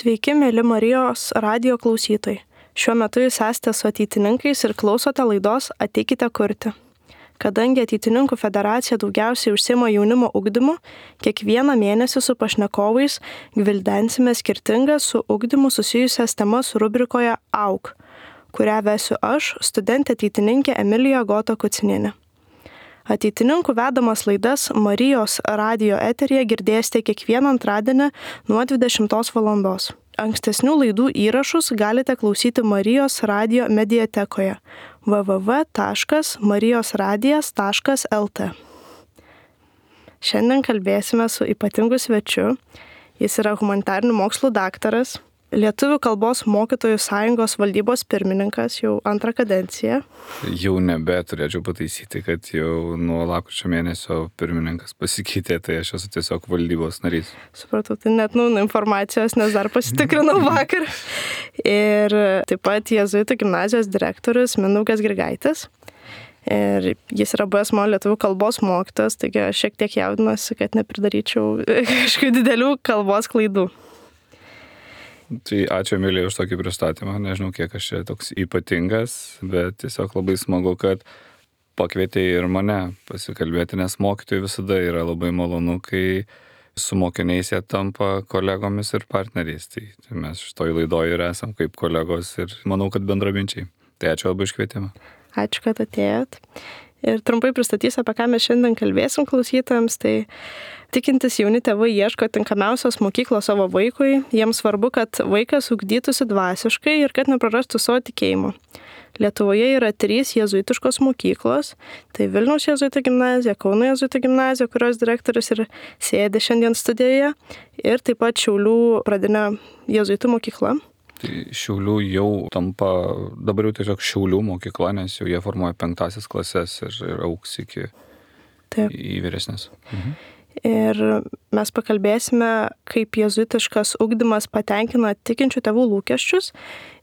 Sveiki, mėly Marijos radijo klausytojai. Šiuo metu jūs esate su ateitininkais ir klausote laidos Ateikite kurti. Kadangi Ateitininkų federacija daugiausiai užsiima jaunimo ugdymu, kiekvieną mėnesį su pašnekovais gvildensime skirtingas su ugdymu susijusias temas rubrikoje AUG, kurią vesiu aš, studentė ateitininkė Emilija Gota Kucinienė. Ateitininkų vedamas laidas Marijos radijo eteryje girdėsite kiekvieną antradienį nuo 20 val. Ankstesnių laidų įrašus galite klausyti Marijos radijo mediatekoje www.marijosradijas.lt. Šiandien kalbėsime su ypatingu svečiu. Jis yra humanitarinių mokslų daktaras, Lietuvių kalbos mokytojų sąjungos valdybos pirmininkas jau antrą kadenciją. Jau turėčiau pataisyti, kad jau nuo lapkričio mėnesio pirmininkas pasikeitė, tai aš esu tiesiog valdybos narys. Supratau, tai net informacijos, nes dar pasitikrinau vakar. Ir taip pat Jėzuitų gimnazijos direktorius Mindaugas Grigaitis. Ir jis yra buvęs mano lietuvių kalbos mokytojas, taigi aš šiek tiek jaudinuosi, kad nepridaryčiau kažkokių didelių kalbos klaidų. Tai ačiū Emilija už tokį pristatymą, nežinau kiek aš čia toks ypatingas, bet tiesiog labai smagu, kad pakvietė ir mane pasikalbėti, nes mokytojai visada yra labai malonu, kai su mokiniais jie tampa kolegomis ir partneriais. Tai mes šitoj laidoje ir esam kaip kolegos ir manau, kad bendraminčiai. Tai ačiū labai už kvietimą. Ačiū, kad atėjot. Ir trumpai pristatysiu, apie ką mes šiandien kalbėsim klausytojams. Tai tikintis jauni tėvai ieško tinkamiausios mokyklos savo vaikui. Jiems svarbu, kad vaikas ugdytųsi dvasiškai ir kad neprarastų savo tikėjimo. Lietuvoje yra 3 jėzuitiškos mokyklos. Tai Vilniaus jėzuitų gimnazija, Kauno jėzuitų gimnazija, kurios direktorius ir sėdi šiandien studijoje. Ir taip pat Šiaulių pradinė jėzuitų mokykla. Tai Šiaulių jau tampa, dabar jau tiesiog Šiaulių mokykla, nes jau jie formuoja 5 klases ir augs iki į vyresnės. Ir mes pakalbėsime, kaip jėzuitiškas ugdymas patenkina tikinčių tėvų lūkesčius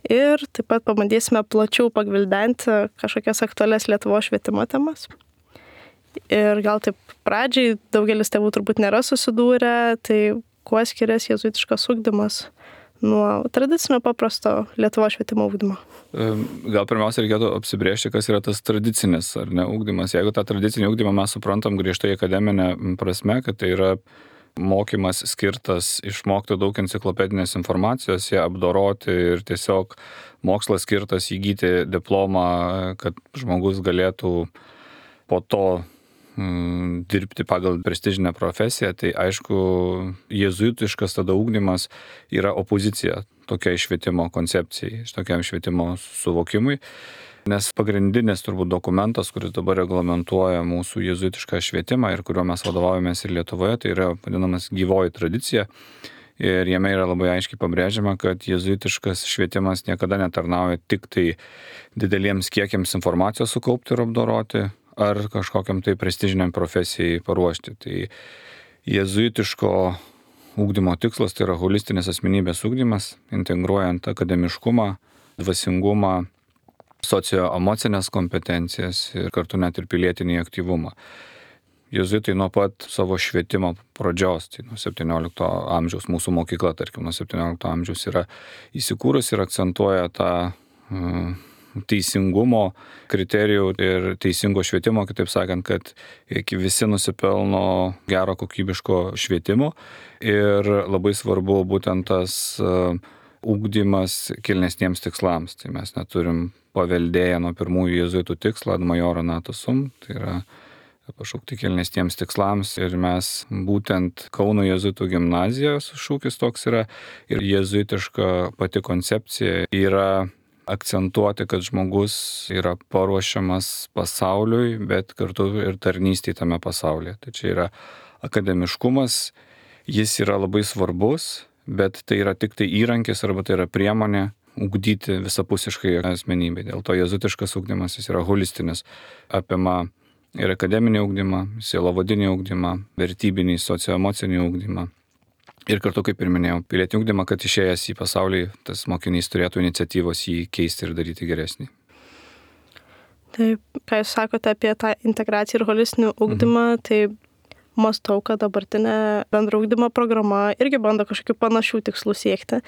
ir taip pat pabandysime plačiau pagvildenti kažkokias aktualias Lietuvos švietimo temas. Ir gal taip pradžiai daugelis tėvų turbūt nėra susidūrę, tai kuo skiriasi jėzuitiškas ugdymas nuo tradicinio paprasto Lietuvos švietimo ugdymo? Gal pirmiausia reikėtų apsibrėžti, kas yra tas tradicinis ar ne ugdymas. Jeigu tą tradicinį ugdymą mes suprantam griežtai akademinę prasme, kad tai yra mokymas skirtas išmokti daug enciklopedinės informacijos, ją apdoroti ir tiesiog mokslas skirtas įgyti diplomą, kad žmogus galėtų po to dirbti pagal prestižinę profesiją, tai aišku, jėzuitiškas tada ugdymas yra opozicija tokiai švietimo koncepcijai, tokiam švietimo suvokimui, nes pagrindinis turbūt dokumentas, kuris dabar reglamentuoja mūsų jėzuitišką švietimą ir kuriuo mes vadovaujamės ir Lietuvoje, tai yra vadinamas gyvoji tradicija. Ir jame yra labai aiškiai pabrėžiama, kad jėzuitiškas švietimas niekada netarnauja tik tai dideliems kiekiams informacijos sukaupti ir apdoroti, ar kažkokiam tai prestižiniam profesijai paruošti. Tai jėzuitiško ugdymo tikslas tai yra holistinis asmenybės ugdymas, integruojant akademiškumą, dvasingumą, socioemocinės kompetencijas ir kartu net ir pilietinį aktyvumą. Jėzuitai nuo pat savo švietimo pradžios, tai nuo 17 amžiaus, mūsų mokykla, tarkim, nuo 17 amžiaus yra įsikūrus ir akcentuoja tą teisingumo kriterijų ir teisingo švietimo, kitaip sakant, kad visi nusipelno gero kokybiško švietimo ir labai svarbu būtent tas ugdymas kilnesniems tikslams. Tai mes neturim paveldėję nuo pirmųjų jėzuitų tikslą ad majora nata sum, tai yra pašaukti kilnesniems tikslams ir mes būtent Kauno jėzuitų gimnazijos šūkis toks yra ir jėzuitiška pati koncepcija yra akcentuoti, kad žmogus yra paruošiamas pasauliui, bet kartu ir tarnystėje tame pasaulyje. Tai čia yra akademiškumas, jis yra labai svarbus, bet tai yra tik tai įrankis arba tai yra priemonė ugdyti visapusiškai asmenybę. Dėl to jėzuitiškas ugdymas jis yra holistinis, apima ir akademinį ugdymą, sielovadinį ugdymą, vertybinį, socioemocinį ugdymą. Ir kartu, kaip ir minėjau, pilietinį ugdymą, kad išėjęs į pasaulį, tas mokinys turėtų iniciatyvos jį keisti ir daryti geresnį. Taip, ką jūs sakote apie tą integraciją ir holistinį ugdymą, tai mąstau, kad dabartinė bendro ugdymo programa irgi bando kažkokių panašių tikslų siekti.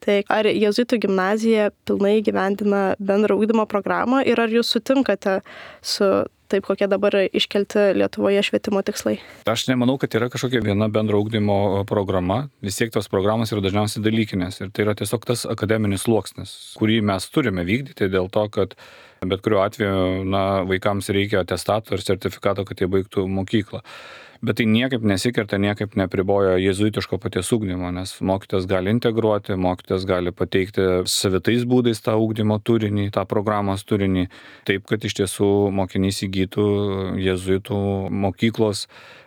Tai ar jėzuitų gimnazija pilnai gyvendina bendro ugdymo programą ir ar jūs sutinkate su taip, kokie dabar iškelti Lietuvoje švietimo tikslai? Aš nemanau, kad yra kažkokia viena bendro ugdymo programa. Vis tiek tos programos yra dažniausiai dalykinės. Ir tai yra tiesiog tas akademinis sluoksnis, kurį mes turime vykdyti dėl to, kad bet kuriuo atveju vaikams reikia atestato ir sertifikato, kad jie baigtų mokyklą. Bet tai niekaip nesikerta, niekaip nepriboja jėzuitiško paties ugdymo, nes mokytojas gali integruoti, mokytojas gali pateikti savitais būdais tą ugdymo turinį, tą programos turinį, taip, kad iš tiesų mokinys įgytų jėzuitų mokyklos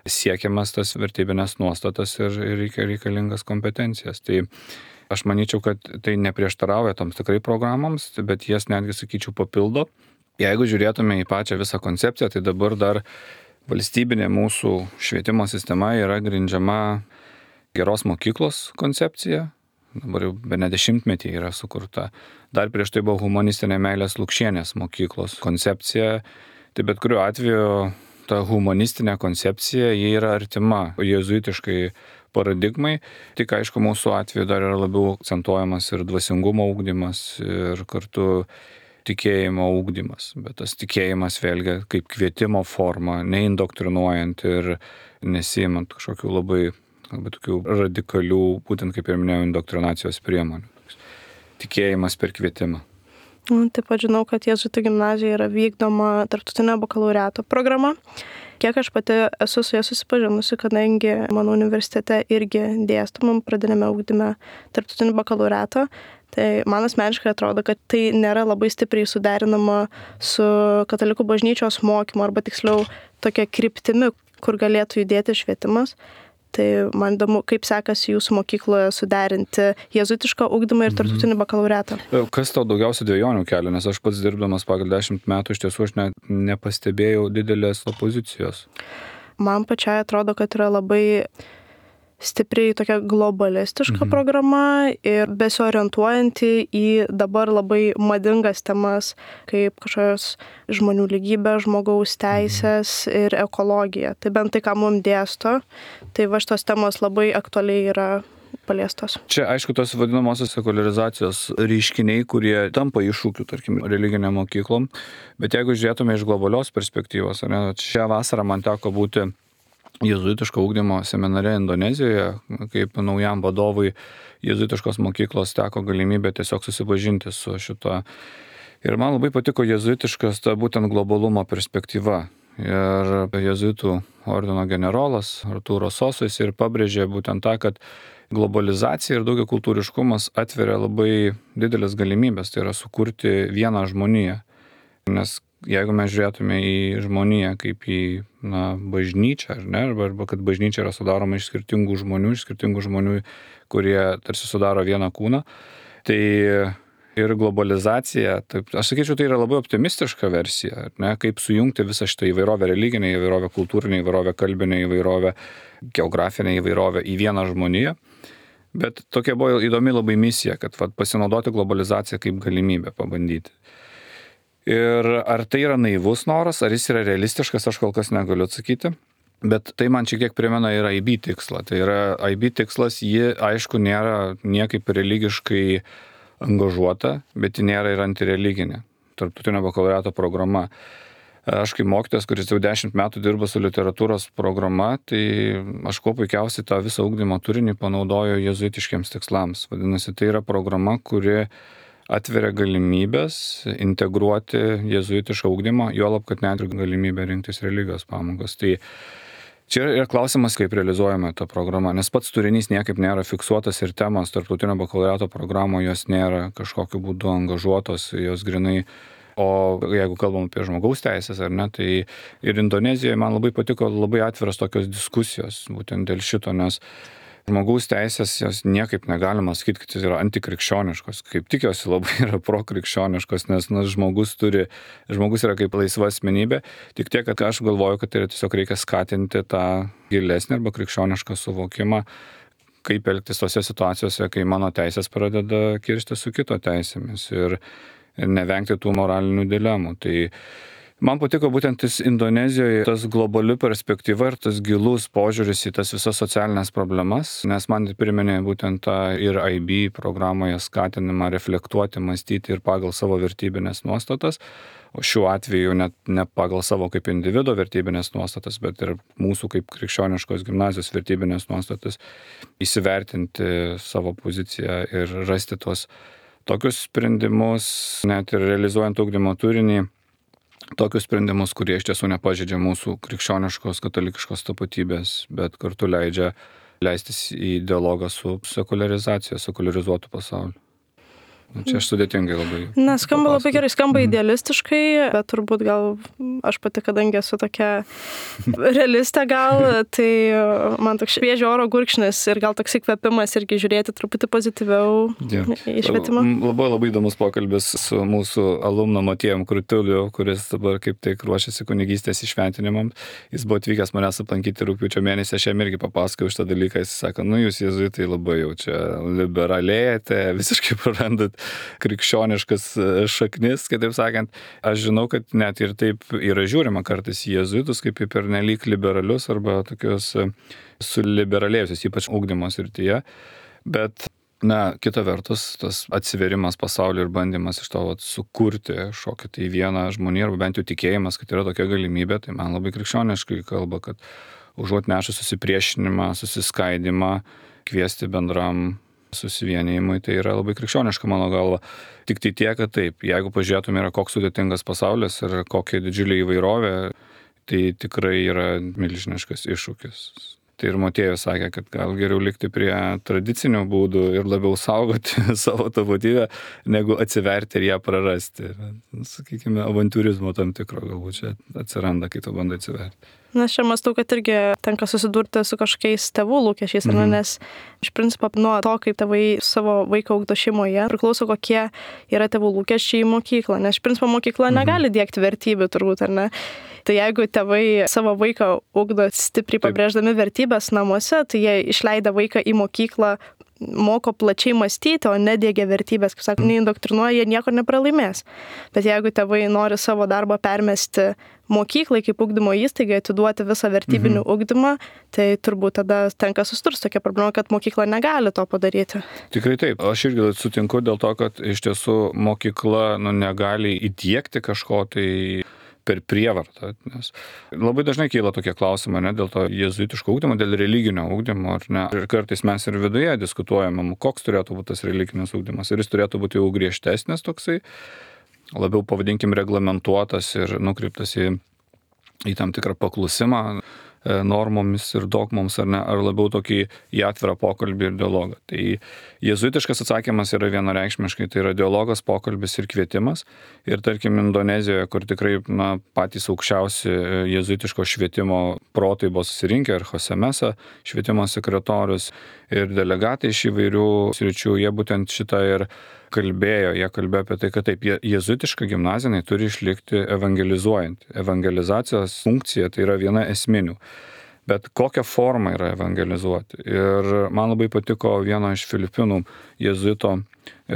siekiamas tas vertybinės nuostatas ir reikalingas kompetencijas. Tai aš manyčiau, kad tai neprieštarauja toms tikrai programoms, bet jas netgi, sakyčiau, papildo. Jeigu žiūrėtume į pačią visą koncepciją, tai dabar dar valstybinė mūsų švietimo sistema yra grindžiama geros mokyklos koncepcija. Dabar jau bene 10-metį yra sukurta. Dar prieš tai buvo humanistinė Meilės Lukšienės mokyklos koncepcija. Tai bet kuriuo atveju ta humanistinė koncepcija, ji yra artima jėzuitiškai paradigmai. Tik aišku, mūsų atveju dar yra labiau akcentuojamas ir dvasingumo ugdymas ir kartu tikėjimo ugdymas, bet tas tikėjimas vėlgi kaip kvietimo forma, neindoktrinuojant ir nesiimant kažkokių labai tokių radikalių, būtent kaip ir minėjau, indoktrinacijos priemonių. Tikėjimas per kvietimą. Taip pat žinau, kad jėzuitų gimnazijoje yra vykdoma tarptautinio bakalaureato programa. Kiek aš pati esu su ja susipažinusi, kadangi mano universitete irgi dėstomam pradinėme ugdyme tarptautinį bakalaureatą, tai man asmeniškai atrodo, kad tai nėra labai stipriai suderinama su katalikų bažnyčios mokymu, arba tiksliau tokia kryptimi, kur galėtų judėti švietimas. Tai man įdomu, kaip sekasi jūsų mokykloje suderinti jėzuitišką ugdymą ir tarptautinį bakalaureatą. Kas tau daugiausia dvejonių kelia, nes aš pats dirbdamas pagal 10 metų iš tiesų aš nepastebėjau didelės opozicijos. Man pačiai atrodo, kad yra labai stipriai tokia globalistiška programa ir besiorientuojanti į dabar labai madingas temas, kaip kažkokios žmonių lygybė, žmogaus teisės ir ekologija. Tai bent tai, ką mums dėsto, tai va šitos temos labai aktualiai yra paliestos. Čia, aišku, tos vadinamosios sekularizacijos reiškiniai, kurie tampa iššūkių, tarkim, religinėm mokyklom, bet jeigu žiūrėtume iš globalios perspektyvos, šią vasarą man teko būti jėzuitiško ugdymo seminare Indonezijoje, kaip naujam vadovui jėzuitiškos mokyklos teko galimybė tiesiog susipažinti su šito. Ir man labai patiko jėzuitiškas ta būtent globalumo perspektyva. Ir jėzuitų ordino generolas Artūro Sosas ir pabrėžė būtent tą, kad globalizacija ir daugiakultūriškumas atveria labai didelės galimybės, tai yra sukurti vieną žmoniją. Nes jeigu mes žiūrėtume į žmoniją kaip į bažnyčią, arba kad bažnyčia yra sudaroma iš skirtingų žmonių, kurie tarsi sudaro vieną kūną, tai ir globalizacija, taip, aš sakyčiau, tai yra labai optimistiška versija, kaip sujungti visą šitą įvairovę religinę, įvairovę kultūrinę, įvairovę kalbinę, įvairovę geografinę, įvairovę į vieną žmoniją. Bet tokia buvo įdomi labai misija, kad pasinaudoti globalizaciją kaip galimybę pabandyti. Ir ar tai yra naivus noras, ar jis yra realistiškas, aš kol kas negaliu atsakyti. Bet tai man šiek tiek primena ir IB tikslą. Tai yra IB tikslas, ji aišku nėra niekaip religiškai angažuota, bet ji nėra ir antireliginė. Tarptautinio bakalaureato programa. Aš kaip mokytojas, kuris jau 10 metų dirba su literatūros programa, tai aš kuo puikiausiai tą visą ugdymo turinį panaudoju jėzuitiškiams tikslams. Vadinasi, tai yra programa, kuri atveria galimybės integruoti jėzuitišką ugdymą, juolab, kad net ir galimybę rinktis religijos pamokas. Tai čia yra klausimas, kaip realizuojama ta programa, nes pats turinys niekaip nėra fiksuotas ir temos tarptautinio bakalaureato programoje jos nėra kažkokiu būdu angažuotos, jos grinai. O jeigu kalbam apie žmogaus teisės, tai ir Indonezijoje man labai patiko labai atviras tokios diskusijos, būtent dėl šito, nes žmogaus teisės jos niekaip negalima sakyti, kad jis yra antikrikščioniškos, kaip tik jos labai yra prokrikščioniškos, nes žmogus yra kaip laisva asmenybė, tik tiek, kad aš galvoju, kad tai tiesiog reikia skatinti tą gilesnį arba krikščionišką suvokimą, kaip elgtis tose situacijose, kai mano teisės pradeda kirsti su kito teisėmis ir nevengti tų moralinių dilemų. Tai Man patiko būtent Indonezijoje tas globali perspektyva ir tas gilus požiūris į tas visas socialinės problemas, nes man priminė būtent tą ir IB programoje skatinimą reflektuoti, mąstyti ir pagal savo vertybinės nuostatas, o šiuo atveju net ne pagal savo kaip individo vertybinės nuostatas, bet ir mūsų kaip krikščioniškos gimnazijos vertybinės nuostatas, įsivertinti savo poziciją ir rasti tuos tokius sprendimus, net ir realizuojant ugdymo turinį, tokius sprendimus, kurie iš tiesų nepažeidžia mūsų krikščioniškos, katalikiškos tapatybės, bet kartu leidžia leistis į dialogą su sekularizacija, sekularizuotu pasauliu. Čia aš sudėtingai labai. Skamba labai gerai, skamba idealistiškai, bet turbūt gal aš pati, kadangi esu tokia realistė gal, tai man toks šviežio oro gurkšnis ir gal toks įkvėpimas irgi žiūrėti truputį pozityviau į švietimą. Labai įdomus pokalbis su mūsų alumnu Matėjum Krutuliu, kuris dabar kaip tik ruošiasi kunigystės įšventinimam. Jis buvo atvykęs manęs aplankyti rugpjūčio mėnesį, aš jam irgi papasakojau šitą dalyką, jis sako, jūs jėzuitai labai jau čia liberalėjate, visiškai prarandat krikščioniškas šaknis, kitaip sakant. Aš žinau, kad net ir taip yra žiūrima kartais į jėzuitus kaip į pernelyg liberalius arba tokius suliberalėjusius, ypač ugdymo srityje. Bet, kita vertus, tas atsiverimas pasauliu ir bandymas iš to sukurti šokį tai vieną žmonį, arba bent jau tikėjimas, kad yra tokia galimybė, tai man labai krikščioniškai kalba, kad užuot nešus susipriešinimą, susiskaidimą, kviesti bendram susivienijimui, tai yra labai krikščioniška mano galva. Tik tai tiek, kad taip, jeigu pažiūrėtume, yra koks sudėtingas pasaulis ir kokia didžiulė įvairovė, tai tikrai yra milžiniškas iššūkis. Tai ir Motiejus sakė, kad gal geriau likti prie tradicinių būdų ir labiau saugoti savo tapatybę, negu atsiverti ir ją prarasti. Sakykime, avantūrizmo tam tikro galbūt čia atsiranda, kai tu bandai atsiverti. Aš čia mąstau, kad irgi tenka susidurti su kažkokiais tėvų lūkesčiais, nes iš principo nuo to, kaip tėvai savo vaiką ugdo šeimoje, priklauso kokie yra tėvų lūkesčiai į mokyklą, nes iš principo mokykla negali diegti vertybių turbūt, ar ne? Tai jeigu tėvai savo vaiką ugdo stipriai pabrėždami vertybės namuose, tai jie išleidę vaiką į mokyklą, moko plačiai mąstyti, o nediegia vertybės, kaip sako, neindoktrinuoja, jie nieko nepralaimės. Bet jeigu tėvai nori savo darbą permesti mokyklai kaip ugdymo įstaigai, atiduoti visą vertybinį ugdymą, tai turbūt tada tenka susidurti tokia problema, kad mokykla negali to padaryti. Tikrai taip. Aš irgi sutinku dėl to, kad iš tiesų mokykla negali įdiegti kažko tai per prievartą, nes labai dažnai kyla tokie klausimai, dėl to jėzuitiško ugdymo, dėl religinio ugdymo, ar ne? Ir kartais mes ir viduje diskutuojame, koks turėtų būti tas religinis ugdymas, ir jis turėtų būti jau griežtesnis toksai, labiau pavadinkim reglamentuotas ir nukreiptas į tam tikrą paklusimą normomis ir dogmoms, ar ne, ar labiau tokį į atvirą pokalbį ir dialogą. Tai jėzuitiškas atsakymas yra vienareikšmiškai, tai yra dialogas, pokalbis ir kvietimas. Ir tarkim Indonezijoje, kur tikrai patys aukščiausi jėzuitiško švietimo protai buvo susirinkę, ir Jose Mesa, švietimo sekretorius, ir delegatai iš įvairių sričių, jie būtent šitą ir kalbėjo, jie kalbėjo apie tai, kad taip, jėzuitiška gimnazija turi išlikti evangelizuojant. Evangelizacijos funkcija tai yra viena esminių. Bet kokią formą yra evangelizuoti. Ir man labai patiko vieno iš Filipinų jėzuito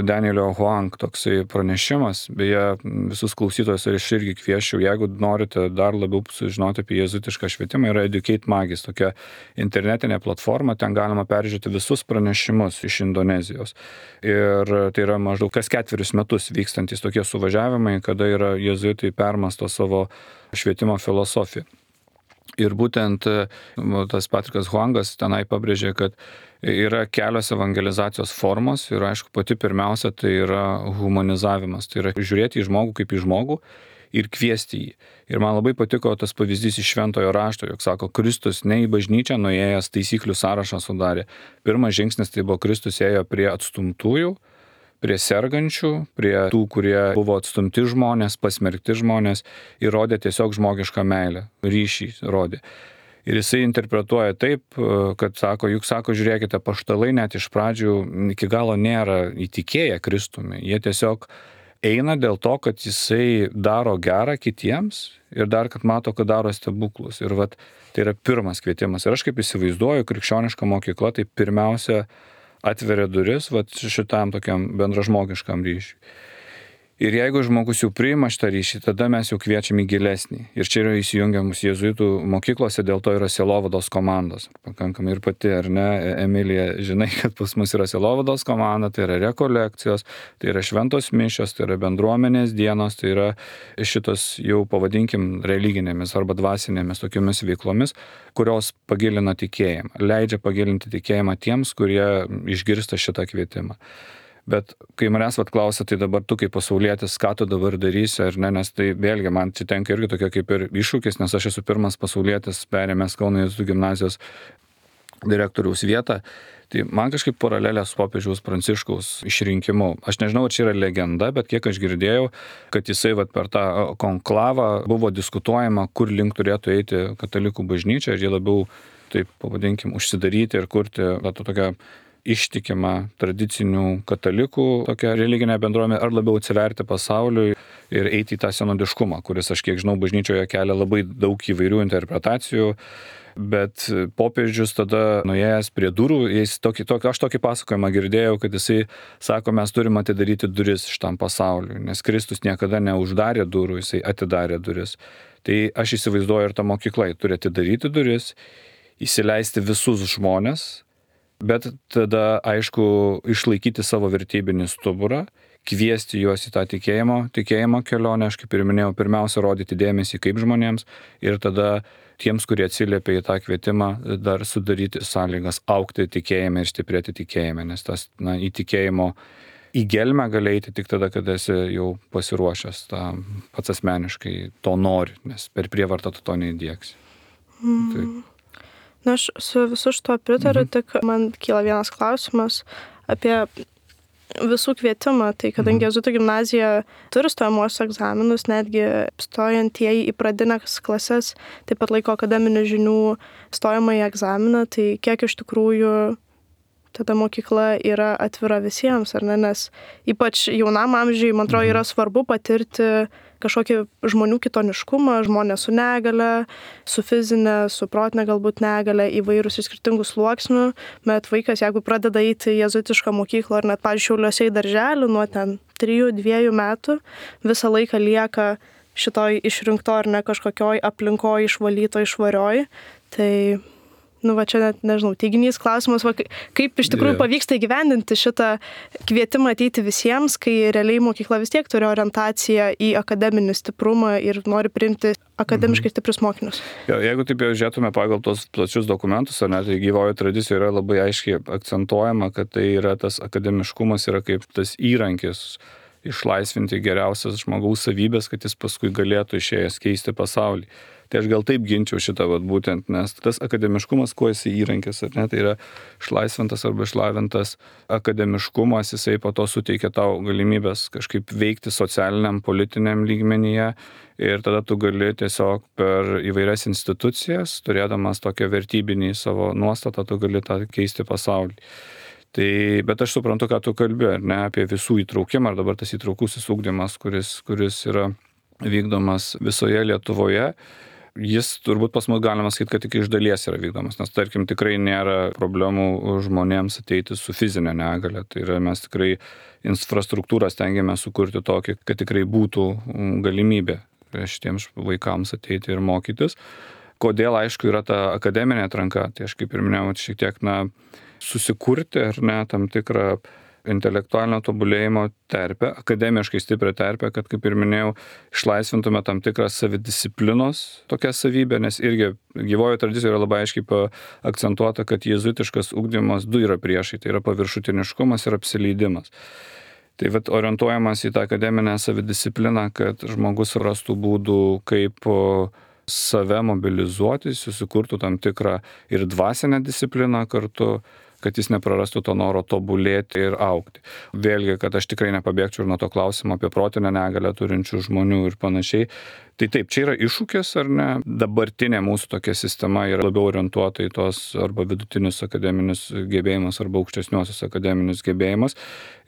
Danielio Huang toksai pranešimas, beje, visus klausytojus ir aš irgi kviesčiau, jeigu norite dar labiau sužinoti apie jėzuitišką švietimą, yra Educate Magis, tokia internetinė platforma, ten galima peržiūrėti visus pranešimus iš Indonezijos. Ir tai yra maždaug kas 4 metus vykstantis tokie suvažiavimai, kada yra jėzuitai permąsto savo švietimo filosofiją. Ir būtent tas Patrikas Huangas tenai pabrėžė, kad yra kelios evangelizacijos formos ir aišku pati pirmiausia tai yra humanizavimas, tai yra žiūrėti į žmogų kaip į žmogų ir kviesti jį. Ir man labai patiko tas pavyzdys iš Šventojo rašto, jog sako, Kristus ne į bažnyčią nuėjęs taisyklių sąrašą sudarė. Pirmas žingsnis tai buvo Kristus ėjo prie atstumtųjų, prie sergančių, prie tų, kurie buvo atstumti žmonės, pasmerkti žmonės ir rodė tiesiog žmogišką meilę, ryšį rodė. Ir jisai interpretuoja taip, kad sako, juk sako, žiūrėkite, apaštalai net iš pradžių iki galo nėra įtikėję Kristumi. Jie tiesiog eina dėl to, kad jisai daro gerą kitiems ir dar, kad mato, kad daro stebuklus. Ir tai yra pirmas kvietimas. Ir aš kaip įsivaizduoju, krikščioniška mokykla, tai pirmiausia atveria duris šitam tokiam bendražmogiškam ryšiui. Ir jeigu žmogus jau priima šitą ryšį, tada mes jau kviečiam į gilesnį. Ir čia yra įsijungiamus jėzuitų mokyklose, dėl to yra sielovados komandos. Pakankamai ir pati, ar ne, Emilija, žinai, kad pas mus yra sielovados komanda, tai yra rekolekcijos, tai yra šventos mišios, tai yra bendruomenės dienos, tai yra šitos jau pavadinkim religinėmis arba dvasinėmis tokiomis veiklomis, kurios pagilina tikėjimą, leidžia pagilinti tikėjimą tiems, kurie išgirsta šitą kvietimą. Bet kai manęs klausia, tai dabar tu kaip pasaulietis, ką tu dabar darysi, ar ne, nes tai vėlgi man čia tenka irgi tokia kaip ir iššūkis, nes aš esu pirmas pasaulietis perėmęs Kauno jėzuitų gimnazijos direktoriaus vietą, tai man kažkaip paralelė su popiežiaus Pranciškaus išrinkimu. Aš nežinau, ar čia yra legenda, bet kiek aš girdėjau, kad jisai per tą konklavą buvo diskutuojama, kur link turėtų eiti katalikų bažnyčia, ir jie labiau, taip pavadinkim, užsidaryti ir kurti tokią ištikimą tradicinių katalikų tokią religinę bendruomenę, ar labiau atsiverti pasauliui ir eiti į tą senodiškumą, kuris, aš kiek žinau, bažnyčioje kelia labai daug įvairių interpretacijų, bet popiežius tada nuėjęs prie durų, aš tokį pasakojimą girdėjau, kad jisai sako, mes turime atidaryti duris šitam pasauliui, nes Kristus niekada neuždarė durų, jisai atidarė duris. Tai aš įsivaizduoju, ir ta mokykla turi atidaryti duris, įsileisti visus žmones, bet tada, aišku, išlaikyti savo vertybinį stuburą, kviesti juos į tą tikėjimo kelionę, aš kaip ir minėjau, pirmiausia, rodyti dėmesį kaip žmonėms, ir tada tiems, kurie atsiliepia į tą kvietimą, dar sudaryti sąlygas augti tikėjime ir stiprėti tikėjime, nes tas, į tikėjimo į gelmę gali eiti tik tada, kada esi jau pasiruošęs, pats asmeniškai to nori, nes per prievartą tu to neįdieksi. Tai. Na, aš su visu šito pritariu, tik man kyla vienas klausimas apie visų kvietimą. Tai kadangi jėzuitų gimnazija turi stojamuosius egzaminus, netgi stojantieji į pradines klases taip pat laiko akademinių žinių stojamąjį egzaminą, tai kiek iš tikrųjų tada mokykla yra atvira visiems, ar ne? Nes ypač jaunam amžiui, man atrodo, yra svarbu patirti kažkokį žmonių kitoniškumą, žmonės su negale, su fizinė, su protinė galbūt negale, įvairūs iš skirtingų sluoksnių, bet vaikas, jeigu pradeda eiti į jėzuitišką mokyklą, ar net, pavyzdžiui, Šiauliuose į darželį nuo 3-2 metų, visą laiką lieka šitoj išrinkto ar ne kažkokioj aplinkoj išvalytoj, švarioj, tai čia net, nežinau, teiginys klausimas, kaip iš tikrųjų pavyksta įgyvendinti šitą kvietimą ateiti visiems, kai realiai mokykla vis tiek turi orientaciją į akademinį stiprumą ir nori priimti akademiškai stiprius mokinius. Jeigu taip jau žiūrėtume pagal tos plačius dokumentus, tai gyvojo tradicijoje yra labai aiškiai akcentuojama, kad tai yra tas akademiškumas yra kaip tas įrankis išlaisvinti geriausias žmogaus savybės, kad jis paskui galėtų išėjęs keisti pasaulį. Tai aš gal taip ginčiau šitą būtent, nes tas akademiškumas, kuo jis įrankis, ar ne, tai yra išlaisvintas arba išlavintas akademiškumas, jisai po to suteikia tau galimybės kažkaip veikti socialiniam, politiniam lygmenyje, ir tada tu gali tiesiog per įvairias institucijas, turėdamas tokią vertybinį savo nuostatą, tu gali tą keisti pasaulį. Tai, bet aš suprantu, ką tu kalbi, ar ne, apie visų įtraukimą, ar dabar tas įtraukusis ugdymas, kuris yra vykdomas visoje Lietuvoje. Jis turbūt pas mus galima sakyti, kad tik iš dalies yra vykdomas, nes tarkim tikrai nėra problemų žmonėms ateiti su fizinė negale. Tai yra, mes tikrai infrastruktūrą stengiamės sukurti tokį, kad tikrai būtų galimybė šitiems vaikams ateiti ir mokytis. Kodėl, aišku, yra ta akademinė atranka, tai aš kaip ir minėjau, šiek tiek susikurti ar ne tam tikrą intelektualinio tobulėjimo terpę, akademiškai stiprią terpę, kad, kaip ir minėjau, išlaisvintume tam tikrą savidisciplinos tokią savybę, nes irgi gyvojo tradicijoje yra labai aiškiai akcentuota, kad jėzuitiškas ugdymas du yra priešai, tai yra paviršutiniškumas ir apsileidimas. Tai orientuojamas į tą akademinę savidiscipliną, kad žmogus rastų būdų, kaip save mobilizuoti, susikurtų tam tikrą ir dvasinę discipliną kartu, kad jis neprarastų to noro tobulėti ir augti. Vėlgi, kad aš tikrai nepabėgčiau ir nuo to klausimo apie protinę negalę turinčių žmonių ir panašiai. Tai taip, čia yra iššūkis, ar ne? Dabartinė mūsų tokia sistema yra labiau orientuota į tos arba vidutinius akademinius gebėjimus arba aukštesniuosius akademinius gebėjimus.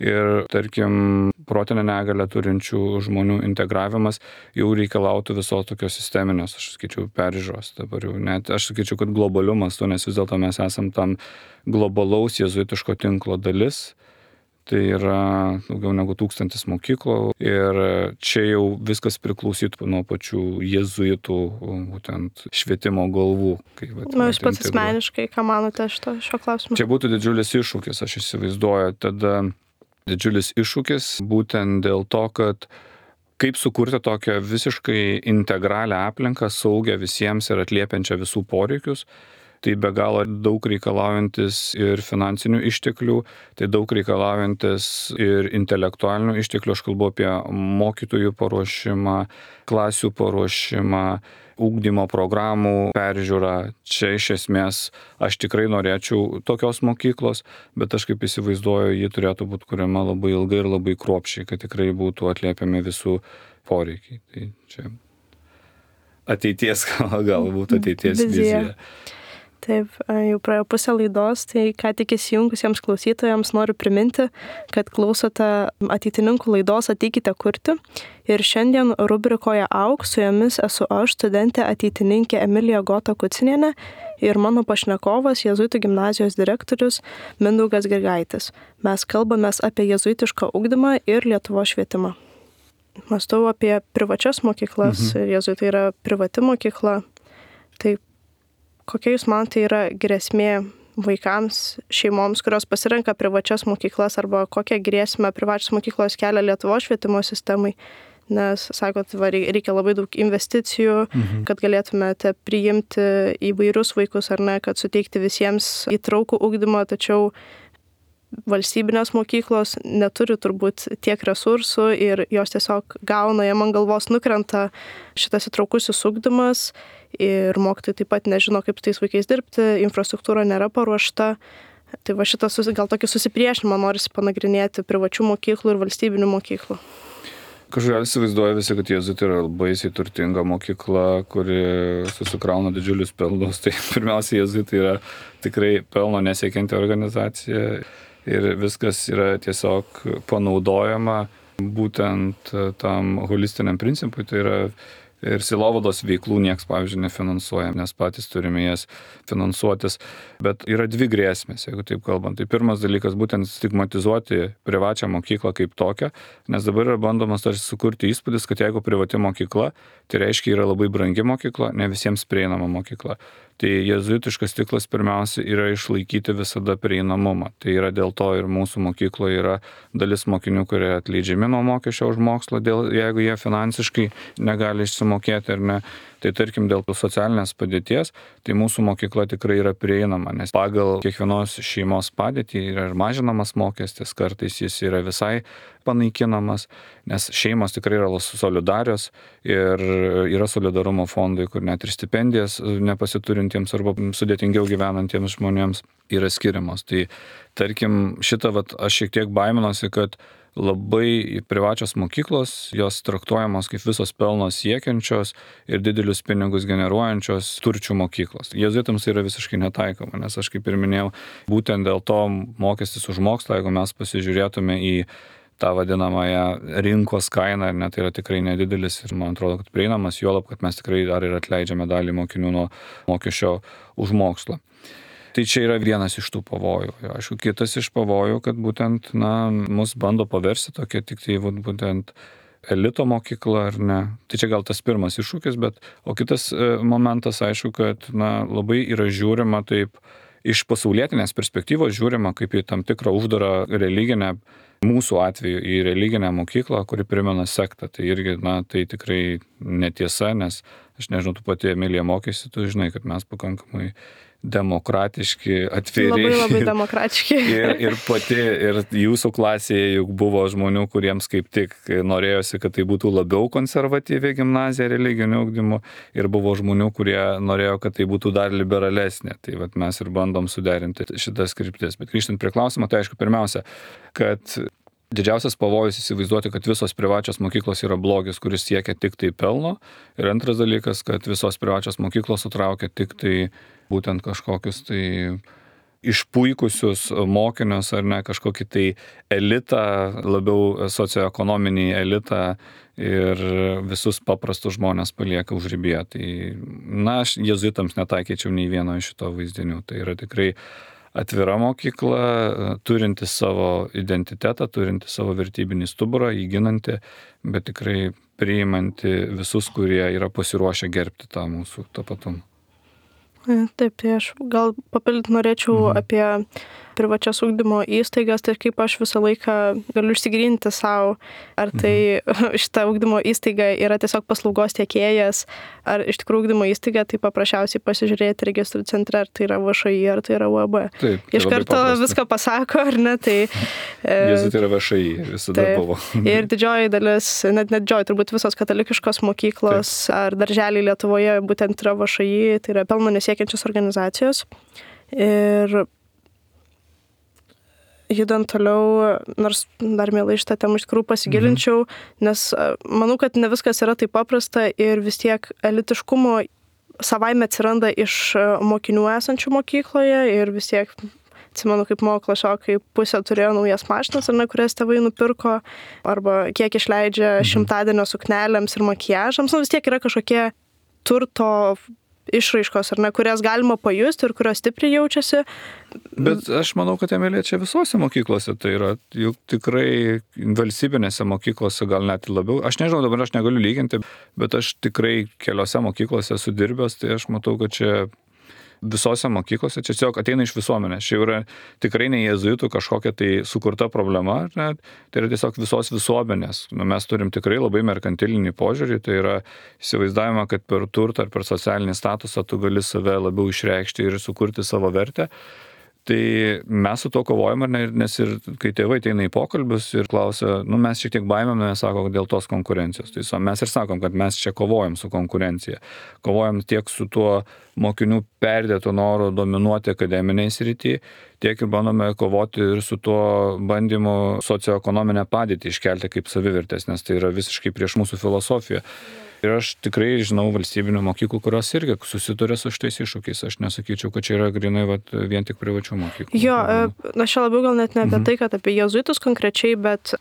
Ir, tarkim, protinę negalę turinčių žmonių integravimas jau reikalautų visos tokios sisteminės, aš sakyčiau, peržiūros. Dabar jau net, aš sakyčiau, kad globaliu mastu, nes vis dėlto mes esam tam globalaus jėzuitiško tinklo dalis. Tai yra daugiau negu 1000 mokyklų ir čia jau viskas priklausytų nuo pačių jėzuitų, būtent švietimo galvų. Jūs pats asmeniškai, ką manote šio klausimu? Čia būtų didžiulis iššūkis, aš įsivaizduoju. Tada didžiulis iššūkis būtent dėl to, kad kaip sukurti tokią visiškai integralią aplinką, saugią visiems ir atliepiančią visų poreikius. Tai be galo daug reikalaujantis ir finansinių išteklių, tai daug reikalaujantis ir intelektualinių išteklių. Aš kalbu apie mokytojų paruošimą, klasių paruošimą, ugdymo programų peržiūrą. Čia iš esmės aš tikrai norėčiau tokios mokyklos, bet aš kaip įsivaizduoju, ji turėtų būti kuriama labai ilgai ir labai kruopščiai, kad tikrai būtų atliepiami visų poreikiai. Tai čia ateities, galbūt ateities vizija. Taip, jau praėjo pusę laidos, tai ką tik įsijungusiems klausytojams noriu priminti, kad klausote ateitininkų laidos Ateikite kurti. Ir šiandien rubrikoje Auk su jumis esu aš, studentė ateitininkė Emilija Gota Kucinienė ir mano pašnekovas Jėzuitų gimnazijos direktorius Mindaugas Grigaitis. Mes kalbamės apie jėzuitišką ugdymą ir Lietuvos švietimą. Mąstau apie privačias mokyklas, jėzuitai yra privati mokykla. Tai kokia jūs manote yra grėsmė vaikams, šeimoms, kurios pasirenka privačias mokyklas, arba kokią grėsmę privačios mokyklos kelia Lietuvos švietimo sistemai? Nes, sakot, reikia labai daug investicijų, kad galėtumėte priimti įvairius vaikus ar ne, kad suteikti visiems įtraukų ugdymą, tačiau valstybinės mokyklos neturi turbūt tiek resursų ir jos tiesiog gauna, jam ant galvos nukrenta šitas įtraukusis ugdymas ir mokytojai taip pat nežino, kaip tais vaikais dirbti, infrastruktūra nėra paruošta. Tai va šitas gal tokį susipriešinimą norisi panagrinėti privačių mokyklų ir valstybinių mokyklų. Kažkaip įsivaizduoja visi, kad jėzuitai yra baisiai turtinga mokykla, kuri susikrauna didžiulius pelnus. Tai pirmiausia, jėzuitai yra tikrai pelno nesiekianti organizacija. Ir viskas yra tiesiog panaudojama būtent tam holistiniam principui, tai yra ir sielovados veiklų nieks, pavyzdžiui, nefinansuoja, nes patys turime jas finansuotis. Bet yra dvi grėsmės, jeigu taip kalbant. Tai pirmas dalykas būtent stigmatizuoti privačią mokyklą kaip tokią, nes dabar yra bandomas tarsi sukurti įspūdis, kad jeigu privati mokykla, tai reiškia yra labai brangi mokykla, ne visiems prieinama mokykla. Tai jėzuitiškas tikslas pirmiausia yra išlaikyti visada prieinamumą. Tai yra dėl to ir mūsų mokykloje yra dalis mokinių, kurie atleidžiami nuo mokesčio už mokslą, jeigu jie finansiškai negali išsimokėti ar ne. Tai tarkim dėl socialinės padėties, tai mūsų mokykla tikrai yra prieinama, nes pagal kiekvienos šeimos padėtį yra ir mažinamas mokestis, kartais jis yra visai panaikinamas, nes šeimos tikrai yra solidarios ir yra solidarumo fondai, kur net ir stipendijas nepasiturintiems arba sudėtingiau gyvenantiems žmonėms yra skiriamos. Tai tarkim šitą aš šiek tiek baiminuosi, kad labai privačios mokyklos, jos traktuojamos kaip visos pelno siekiančios ir didelius pinigus generuojančios turčių mokyklos. Jėzuitams tai yra visiškai netaikoma, nes aš kaip ir minėjau, būtent dėl to mokestis už mokslą, jeigu mes pasižiūrėtume į tą vadinamąją rinkos kainą, net tai yra tikrai nedidelis ir man atrodo, kad prieinamas, juolab, kad mes tikrai dar ir atleidžiame dalį mokinių nuo mokesčio už mokslą. Tai čia yra vienas iš tų pavojų. Aišku, kitas iš pavojų, kad būtent, mus bando paversti tokia tik tai būtent elito mokykla ar ne. Tai čia gal tas pirmas iššūkis, o kitas momentas, aišku, kad labai yra žiūrima taip iš pasaulietinės perspektyvos, žiūrima kaip į tam tikrą uždarą religinę, mūsų atveju į religinę mokyklą, kuri primena sektą. Tai irgi, tai tikrai netiesa, nes aš nežinau, tu pati Emilija mokėsi, tu žinai, kad mes pakankamai demokratiški, atviri. Labai demokratiški. Ir jūsų klasėje juk buvo žmonių, kuriems kaip tik norėjosi, kad tai būtų labiau konservatyvi gimnazija religiniu ugdymu, ir buvo žmonių, kurie norėjo, kad tai būtų dar liberalesnė. Tai mes ir bandom suderinti šitas kryptis. Bet grįžtant prie klausimo, tai aišku, pirmiausia, kad didžiausias pavojus įsivaizduoti, kad visos privačios mokyklos yra blogis, kuris siekia tik tai pelno. Ir antras dalykas, kad visos privačios mokyklos sutraukia tik tai būtent kažkokius tai išpuikusius mokinius ar ne, kažkokį tai elitą, labiau socioekonominį elitą, ir visus paprastus žmonės palieka užribyje. Tai, aš jėzuitams netaikyčiau nei vieno iš šito vaizdinių. Tai yra tikrai atvira mokykla, turinti savo identitetą, turinti savo vertybinį stuburą, įginanti, bet tikrai priimanti visus, kurie yra pasiruošę gerbti tą mūsų tapatumą. Taip, tai aš gal papildyti norėčiau apie privačias ugdymo įstaigas, tai kaip aš visą laiką galiu išsigryninti savo, ar tai šita ugdymo įstaiga yra tiesiog paslaugos tiekėjas, ar iš tikrųjų ugdymo įstaiga, tai paprasčiausiai pasižiūrėti registrų centre, ar tai yra VŠI, ar tai yra UAB. Taip, iš karto viską pasako, ar ne, tai... Jėzuitai yra VŠI, visada buvo. Ir didžioji dalis, net didžioji, turbūt visos katalikiškos mokyklos ar darželiai Lietuvoje būtent yra VŠI, tai yra pelno nesiekiančios organizacijos. Ir judant toliau, nors dar mielai šitą temą iš tikrųjų pasigilinčiau, nes manau, kad ne viskas yra taip paprasta ir vis tiek elitiškumo savaime atsiranda iš mokinių esančių mokykloje ir vis tiek, atsimenu, kaip mano klasiokai pusė turėjo naujas mašinas, ar ne, kurias tėvai nupirko, arba kiek išleidžia šimtadienio suknelėms ir makiažams, vis tiek yra kažkokie turto išraiškos, ar ne, kurias galima pajusti ir kurios stipriai jaučiasi. Bet aš manau, kad jame liečia visose mokyklose, tai yra juk tikrai valstybinėse mokyklose gal net labiau. Aš nežinau, dabar aš negaliu lyginti, bet aš tikrai keliose mokyklose esu dirbęs, tai aš matau, kad čia visose mokyklose, čia tiesiog ateina iš visuomenės. Čia yra tikrai ne jėzuitų kažkokia tai sukurta problema, ne? Tai yra tiesiog visos visuomenės. Mes turim tikrai labai merkantilinį požiūrį, tai yra įsivaizdavimą, kad per turtą ar per socialinį statusą tu gali save labiau išreikšti ir sukurti savo vertę. Tai mes su to kovojame, nes ir kai tėvai ateina į pokalbius ir klausia, mes šiek tiek baimėmės, sako, dėl tos konkurencijos. Tai mes ir sakom, kad mes čia kovojam su konkurencija. Kovojam tiek su tuo mokinių perdėto noro dominuoti akademiniai srity, tiek ir bandome kovoti ir su tuo bandymu socioekonominę padėtį iškelti kaip savivertės, nes tai yra visiškai prieš mūsų filosofiją. Ir aš tikrai žinau valstybinių mokyklų, kurios irgi susiduria su šitais iššūkiais. Aš nesakyčiau, kad čia yra grinai vien tik privačių mokyklų. Jo, aš čia labiau gal net ne apie tai, kad apie jėzuitus konkrečiai, bet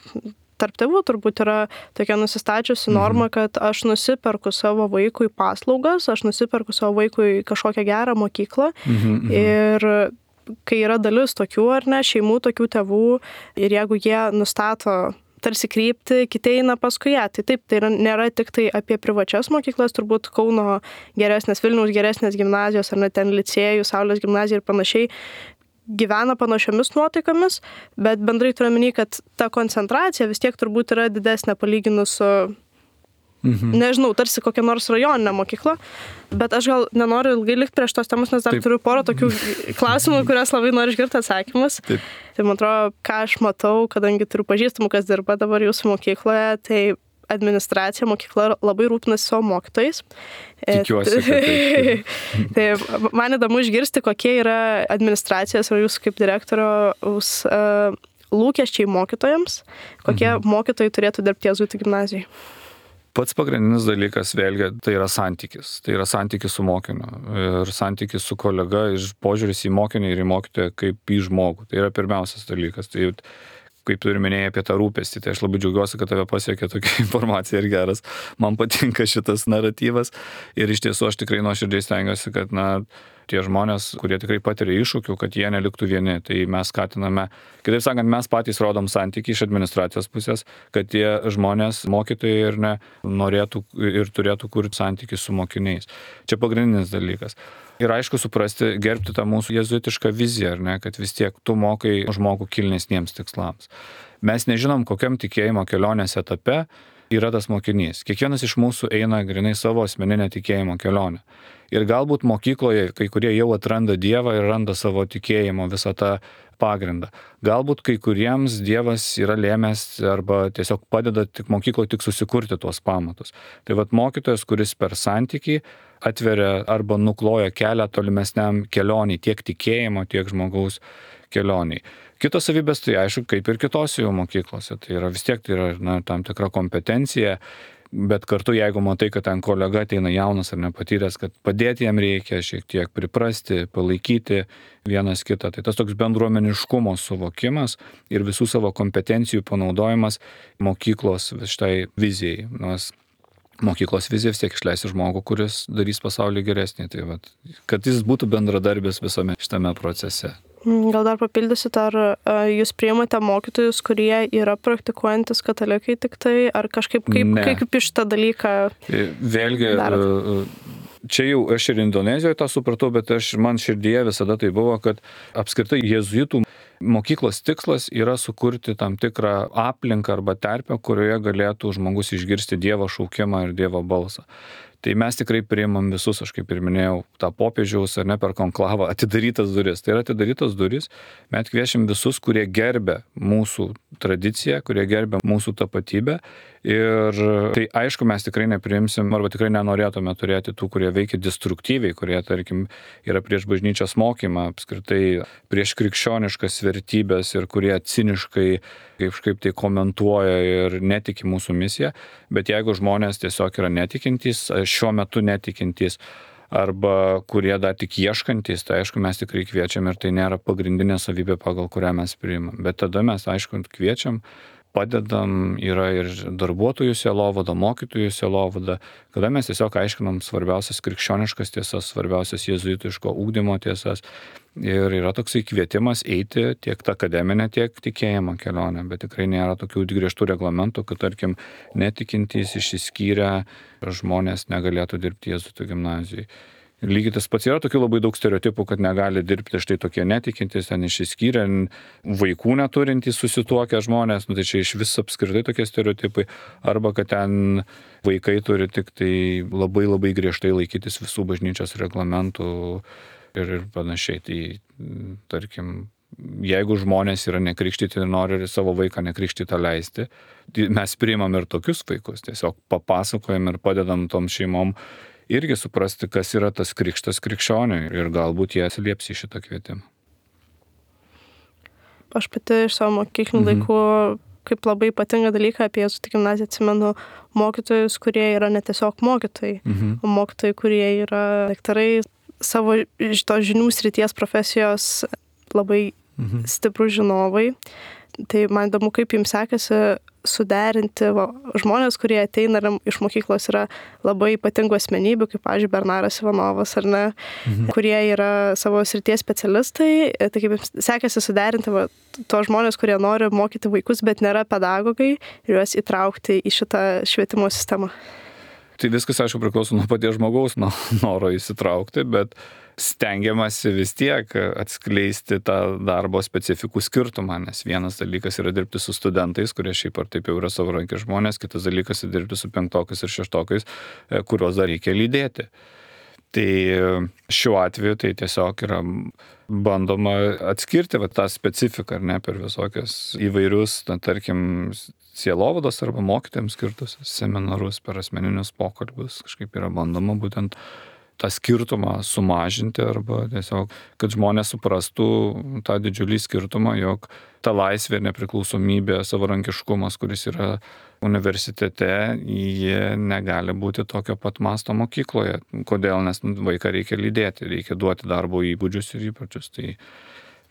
tarp tėvų turbūt yra tokia nusistačiusi norma, kad aš nusiperku savo vaikui paslaugas, aš nusiperku savo vaikui kažkokią gerą mokyklą. Ir kai yra dalis tokių ar ne, šeimų tokių tėvų ir jeigu jie nustato tarsi krypti, kiti eina paskui ją. Tai taip, tai nėra tik tai apie privačias mokyklas, turbūt Kauno geresnės, Vilniaus geresnės gimnazijos, ar net ten licėjų, Saulės gimnazija ir panašiai, gyvena panašiomis nuotaikomis, bet bendrai turiu omeny, kad ta koncentracija vis tiek turbūt yra didesnė palyginus su, nežinau, tarsi kokia nors rajoninė mokykla, bet aš gal nenoriu ilgai likti prieš tos temus, nes dar turiu porą tokių klausimų, kurias labai noriu išgirti atsakymus. Taip. Tai man atrodo, ką aš matau, kadangi turiu pažįstamų, kas dirba dabar jūsų mokykloje, tai administracija mokykla labai rūpinasi savo mokytojais. Tikiuosi, kad taip. Tai man įdomu išgirsti, kokie yra administracijos ar jūsų kaip direktoriaus lūkesčiai mokytojams, kokie mokytojai turėtų dirbti jėzuitų gimnazijai. Pats pagrindinis dalykas vėlgi tai yra santykis. Tai yra santykis su mokiniu ir santykis su kolega, požiūris į mokinį ir į mokytoją kaip į žmogų. Tai yra pirmiausias dalykas. Tai kaip tu ir minėjai apie tą rūpestį, tai aš labai džiaugiuosi, kad tave pasiekė tokia informacija ir geras. Man patinka šitas naratyvas ir iš tiesų aš tikrai nuoširdžiai stengiuosi, kad tie žmonės, kurie tikrai patiria iššūkių, kad jie neliktų vieni. Tai mes skatiname, kitaip sakant, mes patys rodom santykį iš administracijos pusės, kad tie žmonės, mokytojai ir norėtų ir turėtų kurti santykį su mokiniais. Čia pagrindinis dalykas. Ir aišku suprasti, gerbti tą mūsų jėzuitišką viziją, ar ne, kad vis tiek tu mokai žmogų kilnesniems tikslams. Mes nežinom, kokiam tikėjimo kelionės etape yra tas mokinys. Kiekvienas iš mūsų eina grinai savo asmeninę tikėjimo kelionę. Ir galbūt mokykloje kai kurie jau atranda Dievą ir randa savo tikėjimo visą tą pagrindą. Galbūt kai kuriems Dievas yra lėmęs arba tiesiog padeda tik mokykloje tik susikurti tuos pamatus. Tai mokytojas, kuris per santykį atveria arba nukloja kelią tolimesniam kelioniai, tiek tikėjimo, tiek žmogaus kelioniai. Kitos savybės tai aišku, kaip ir kitose jau mokyklose. Tai yra vis tiek tai yra tam tikra kompetencija, bet kartu jeigu matai, kad ten kolega ateina jaunas ar nepatyręs, kad padėti jam reikia šiek tiek priprasti, palaikyti vienas kitą. Tai tas toks bendruomeniškumo suvokimas ir visų savo kompetencijų panaudojimas mokyklos šitai vizijai. Nes mokyklos vizija vis tiek išleisi žmogų, kuris darys pasaulį geresnį. Tai kad jis būtų bendradarbis visame šitame procese. Gal dar papildysit, ar jūs priimate mokytojus, kurie yra praktikuojantis katalikai tik tai, ar kažkaip kaip iš tą dalyką vėlgi darot? Čia jau aš ir Indonezijoje tą supratau, bet man širdyje visada tai buvo, kad apskritai jėzuitų mokyklos tikslas yra sukurti tam tikrą aplinką arba terpę, kurioje galėtų žmogus išgirsti Dievo šaukimą ir Dievo balsą. Tai mes tikrai priimam visus, aš kaip ir minėjau, tą popiežiaus ar ne per konklavą atidarytas duris. Tai yra atidarytas duris, mes kviečiam visus, kurie gerbia mūsų tradiciją, kurie gerbia mūsų tapatybę. Ir tai aišku, mes tikrai nepriimsim arba tikrai nenorėtume turėti tų, kurie veikia destruktyviai, kurie, tarkim, yra prieš bažnyčios mokymą, apskritai prieš krikščioniškas vertybės ir kurie ciniškai kažkaip tai komentuoja ir netiki mūsų misiją. Bet jeigu žmonės tiesiog yra netikintys, šiuo metu netikintys, arba kurie dar tik ieškantys, tai aišku, mes tikrai kviečiam ir tai nėra pagrindinė savybė, pagal kurią mes priimam. Bet tada mes, aišku, kviečiam, padedam, yra ir darbuotojų sielovada, mokytojų sielovada, kada mes tiesiog aiškinam svarbiausias krikščioniškas tiesas, svarbiausias jėzuitiško ugdymo tiesas. Ir yra toksai kvietimas eiti tiek tą akademinę, tiek tikėjimo kelionę, bet tikrai nėra tokių griežtų reglamentų, kad, tarkim, netikintys išsiskyrę žmonės negalėtų dirbti jėzuitų gimnazijai. Lygiai tas pats yra tokių labai daug stereotipų, kad negali dirbti štai tokie netikintis, ten išsiskyrę, vaikų neturintys susituokę žmonės, tai čia iš vis apskritai tokie stereotipai, arba kad ten vaikai turi tik tai labai griežtai laikytis visų bažnyčios reglamentų ir panašiai. Tai, tarkim, jeigu žmonės yra nekrikštyti ir nori savo vaiką nekrikštytą leisti, mes priimam ir tokius vaikus, tiesiog papasakojam ir padedam tom šeimom irgi suprasti, kas yra tas krikštas krikščioniui ir galbūt jie atsilieps į šitą kvietimą. Aš pati iš savo mokyklinių laikų kaip labai ypatingą dalyką apie jėzuitų gimnaziją atsimenu mokytojus, kurie yra ne tiesiog mokytojai, o mokytojai, kurie yra daktarai, savo šitos žinių srities profesijos labai stiprų žinovai. Tai man įdomu, kaip jums sekasi suderinti žmonės, kurie ateina iš mokyklos yra labai ypatingų asmenybių, kaip, pavyzdžiui, Bernaras Ivanovas, ar ne, kurie yra savo srities specialistai. Tai kaip jums sekasi suderinti tuos žmonės, kurie nori mokyti vaikus, bet nėra pedagogai, ir juos įtraukti į šitą švietimo sistemą. Tai viskas, aišku, priklauso nuo paties žmogaus noro įsitraukti, bet stengiamasi vis tiek atskleisti tą darbo specifikų skirtumą, nes vienas dalykas yra dirbti su studentais, kurie šiaip ar taip jau yra savarankiški žmonės, kitas dalykas yra dirbti su penktokais ir šeštokais, kuriuos dar reikia lydėti. Tai šiuo atveju tai tiesiog yra bandoma atskirti tą specifiką, ar ne, per visokias įvairius, tarkim, sielovados arba mokytojams skirtus seminarus, per asmeninius pokalbius, kažkaip yra bandoma būtent tą skirtumą sumažinti arba tiesiog, kad žmonės suprastų tą didžiulį skirtumą, jog ta laisvė, nepriklausomybė, savarankiškumas, kuris yra universitete, jie negali būti tokio pat masto mokykloje. Kodėl? Nes vaiką reikia lydėti, reikia duoti darbo įgūdžius ir įpročius. Tai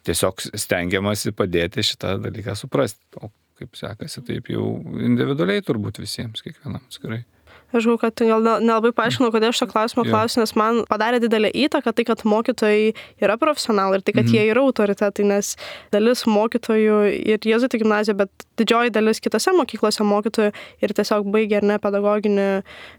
tiesiog stengiamasi padėti šitą dalyką suprasti. O kaip sekasi, taip jau individualiai turbūt visiems, kiekvienam atskirai. Aš žinau, kad gal nelabai paaiškinau, kodėl šito klausimo klausiu, nes man padarė didelę įtaką tai, kad mokytojai yra profesionalai ir tai, kad jie yra autoritetai, nes dalis mokytojų ir jėzuitų gimnazijoje, bet didžioji dalis kitose mokyklose mokytojų ir tiesiog baigia ar ne pedagoginį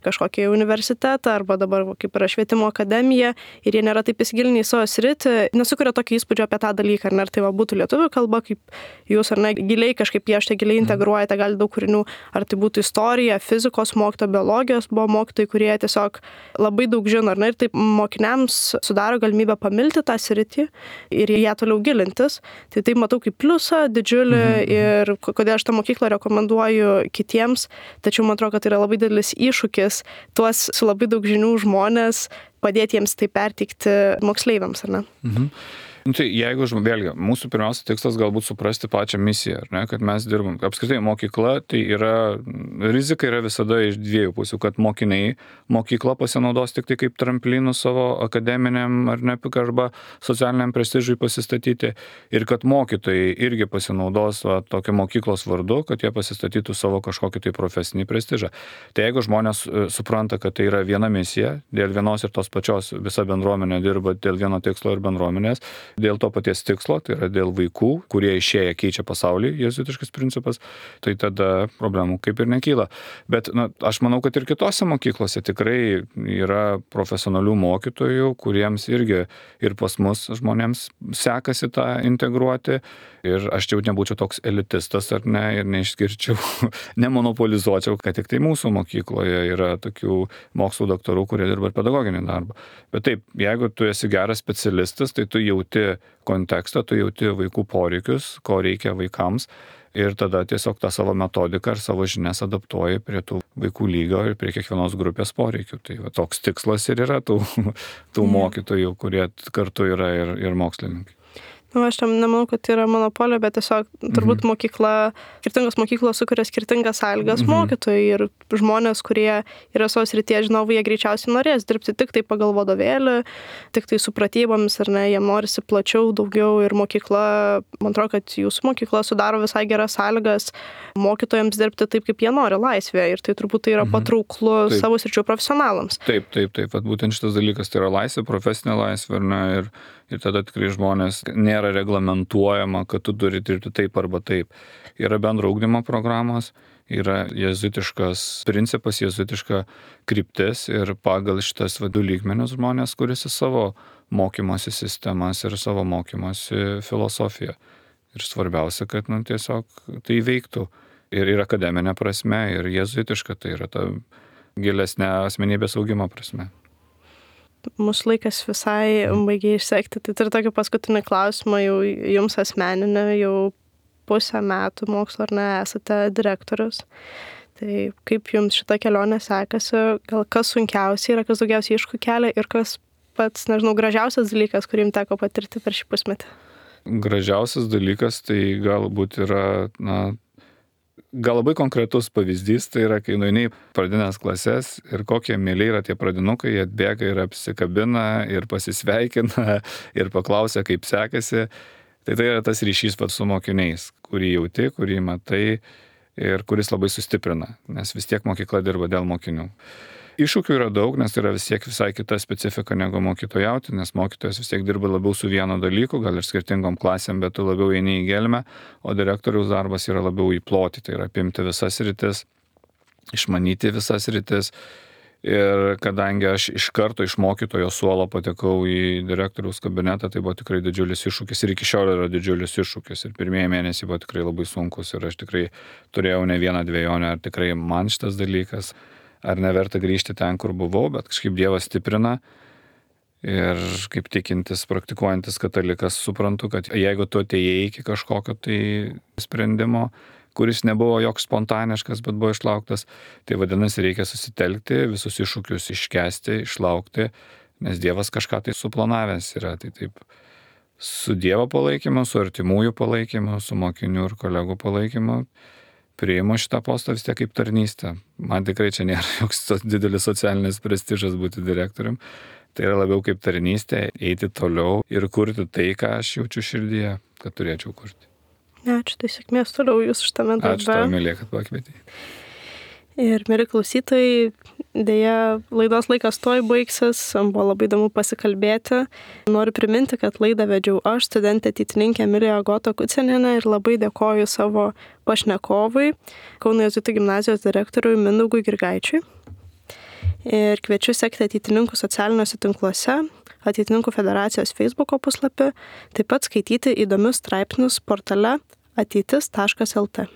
kažkokį universitetą arba dabar kaip yra švietimo akademija ir jie nėra taip įsigilinę į savo sritį, nesukuria tokio įspūdžio apie tą dalyką, ar ne, ar tai būtų lietuvių kalba, kaip jūs ar ne giliai kažkaip piešti, giliai integruojate, gali daug kūrinių, ar tai būtų istorija, fizikos mokytoja, biologijos buvo mokytojai, kurie tiesiog labai daug žino, ar ne, ir taip mokiniams sudaro galimybę pamilti tą sritį ir ją toliau gilintis. Tai taip matau kaip pliusą didžiulį ir kodėl aš tą mokyklą rekomenduoju kitiems, tačiau man atrodo, kad tai yra labai didelis iššūkis tuos su labai daug žinių žmonės padėti jiems tai perteikti moksleiviams, ar ne? Tai jeigu, vėlgi, mūsų pirmiausia tikslas galbūt suprasti pačią misiją, ar ne, kad mes dirbam. Apskritai mokykla, tai rizika yra visada iš dviejų pusių, kad mokiniai mokyklą pasinaudos tik tai kaip tramplinų savo akademiniam ar ne, arba socialiniam prestižui pasistatyti ir kad mokytojai irgi pasinaudos tokio mokyklos vardu, kad jie pasistatytų savo kažkokį tai profesinį prestižą. Tai jeigu žmonės supranta, kad tai yra viena misija, dėl vienos ir tos pačios visa bendruomenė dirba dėl vieno tikslo ir bendruomenės, dėl to paties tikslo, tai yra dėl vaikų, kurie išėję keičia pasaulį, jėzuitiškas principas, tai tada problemų kaip ir nekyla. Bet aš manau, kad ir kitose mokyklose tikrai yra profesionalių mokytojų, kuriems irgi ir pas mus žmonėms sekasi tą integruoti. Ir aš jau nebūčiau toks elitistas ar ne, ir neišskirčiau, nemonopolizuočiau, kad tik tai mūsų mokykloje yra tokių mokslo daktarų, kurie dirba pedagoginį darbą. Bet taip, jeigu tu esi geras specialistas, tai tu jauti kontekstą, tu jauti vaikų poreikius, ko reikia vaikams ir tada tiesiog tą savo metodiką ar savo žinias adaptuoji prie tų vaikų lygio ir prie kiekvienos grupės poreikių. Tai toks tikslas ir yra tų mokytojų, kurie kartu yra ir mokslininkai. Aš tam nemanau, kad tai yra monopolija, bet tiesiog turbūt skirtingos mokyklos sukuria skirtingas sąlygas mokytojai ir žmonės, kurie yra savo srityje žinovai, jie greičiausiai norės dirbti tik tai pagal vadovėlį, tik tai su pratybomis, ar ne, jiem norisi plačiau, daugiau ir mokykla, man atrodo, kad jūsų mokykla sudaro visai geras sąlygas mokytojams dirbti taip, kaip jie nori laisvėje ir tai turbūt tai yra patrauklu savo sričių profesionalams. Taip, vat būtent šitas dalykas tai yra laisvė, profesinė laisvė, ar ne, ir tada tikrai žmonės nėra reglamentuojama, kad tu turi dirbti taip arba taip. Yra bendro ugdymo programos, yra jėzuitiškas principas, jėzuitiška kryptis ir pagal šitas du lygmenius žmonės kuriasi savo mokymosi sistemas ir savo mokymosi filosofiją. Ir svarbiausia, kad tiesiog tai veiktų ir akademinė prasme, ir jėzuitiška, tai yra ta gilesnė asmenybės augimo prasme. Mūsų laikas visai baigia išsekti. Tai turiu tokį paskutinį klausimą jau jums asmeninį, jau pusę metų mokslo ar ne esate direktorius. Tai kaip jums šita kelionė sekasi, gal kas sunkiausiai yra, kas daugiausiai iššūkių kelia ir kas pats, gražiausias dalykas, kurį jums teko patirti per šį pusmetį? Gražiausias dalykas tai galbūt yra, gal labai konkretus pavyzdys, tai yra, kai nueini į pradinės klases ir kokie mieli yra tie pradinukai, jie atbėga ir apsikabina ir pasisveikina ir paklausia, kaip sekasi. Tai yra tas ryšys su mokiniais, kurį jauti, kurį matai ir kuris labai sustiprina, nes vis tiek mokykla dirba dėl mokinių. Iššūkių yra daug, nes tai yra vis tiek visai kita specifika negu mokytojauti, nes mokytojas vis tiek dirba labiau su vienu dalyku, gal ir skirtingom klasėm, bet tu labiau eini į gelmę, o direktoriaus darbas yra labiau į plotį, tai yra apimti visas sritis, išmanyti visas sritis. Ir kadangi aš iš karto iš mokytojo suolo patekau į direktoriaus kabinetą, tai buvo tikrai didžiulis iššūkis ir iki šiol yra didžiulis iššūkis. Ir pirmieji mėnesiai buvo tikrai labai sunkus ir aš tikrai turėjau ne vieną dvejonę, ar tikrai man šitas dalykas, ar neverta grįžti ten, kur buvau, bet kažkaip Dievas stiprina ir kaip tikintis, praktikuojantis katalikas suprantu, kad jeigu tu atėjai iki kažkokio tai sprendimo, kuris nebuvo joks spontaniškas, bet buvo išlauktas, tai vadinasi reikia susitelkti, visus iššūkius iškęsti, išlaukti, nes Dievas kažką tai suplanavęs yra. Tai taip, su Dievo palaikymu, su artimųjų palaikymu, su mokinių ir kolegų palaikymu priimu šitą postą vis tiek kaip tarnystę. Man tikrai čia nėra joks didelis socialinis prestižas būti direktorium. Tai yra labiau kaip tarnystė, eiti toliau ir kurti tai, ką aš jaučiu širdyje, kad turėčiau kurti. Ačiū, tai sėkmės toliau jūs šitame darbe. Ačiū tau, Emilija, kad pakvietei. Ir mieli klausytojai, dėja, laidos laikas tuoj baigsis, buvo labai įdomu pasikalbėti. Noriu priminti, kad laidą vedžiau aš, studentė ateitininkė Emilija Agota Kucinienė ir labai dėkoju savo pašnekovui, Kauno jėzuitų gimnazijos direktoriui Mindaugui Grigaičiui. Ir kviečiu sekti ateitininkų socialiniuose tinkluose, Ateitininkų federacijos Facebooko puslapį, taip pat skaityti įdomius straipsnius portale ateitis.lt.